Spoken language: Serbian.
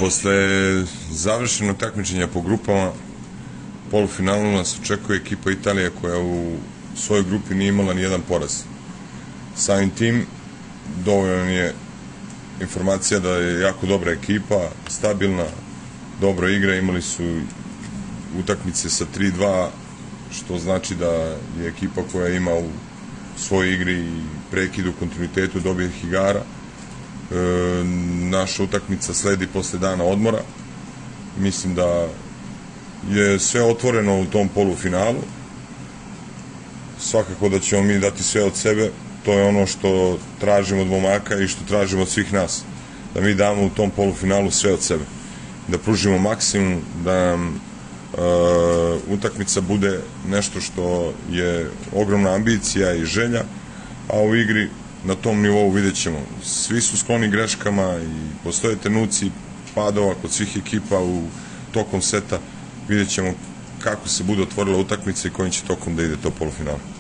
Posle završenog takmičenja po grupama, polufinalu nas očekuje ekipa Italije koja u svojoj grupi nije imala ni jedan poraz. Samim tim, dovoljno je informacija da je jako dobra ekipa, stabilna, dobro igra, imali su utakmice sa 3-2, što znači da je ekipa koja ima u svojoj igri i prekidu u kontinuitetu dobijih igara. Naša utakmica sledi posle dana odmora. Mislim da je sve otvoreno u tom polufinalu. Svakako da ćemo mi dati sve od sebe. To je ono što tražimo od momaka i što tražimo od svih nas. Da mi damo u tom polufinalu sve od sebe. Da pružimo maksimum, da nam utakmica bude nešto što je ogromna ambicija i želja, a u igri na tom nivou vidjet ćemo. Svi su skloni greškama i postoje trenuci padova kod svih ekipa u tokom seta. Vidjet ćemo kako se bude otvorila utakmica i kojim će tokom da ide to polufinale.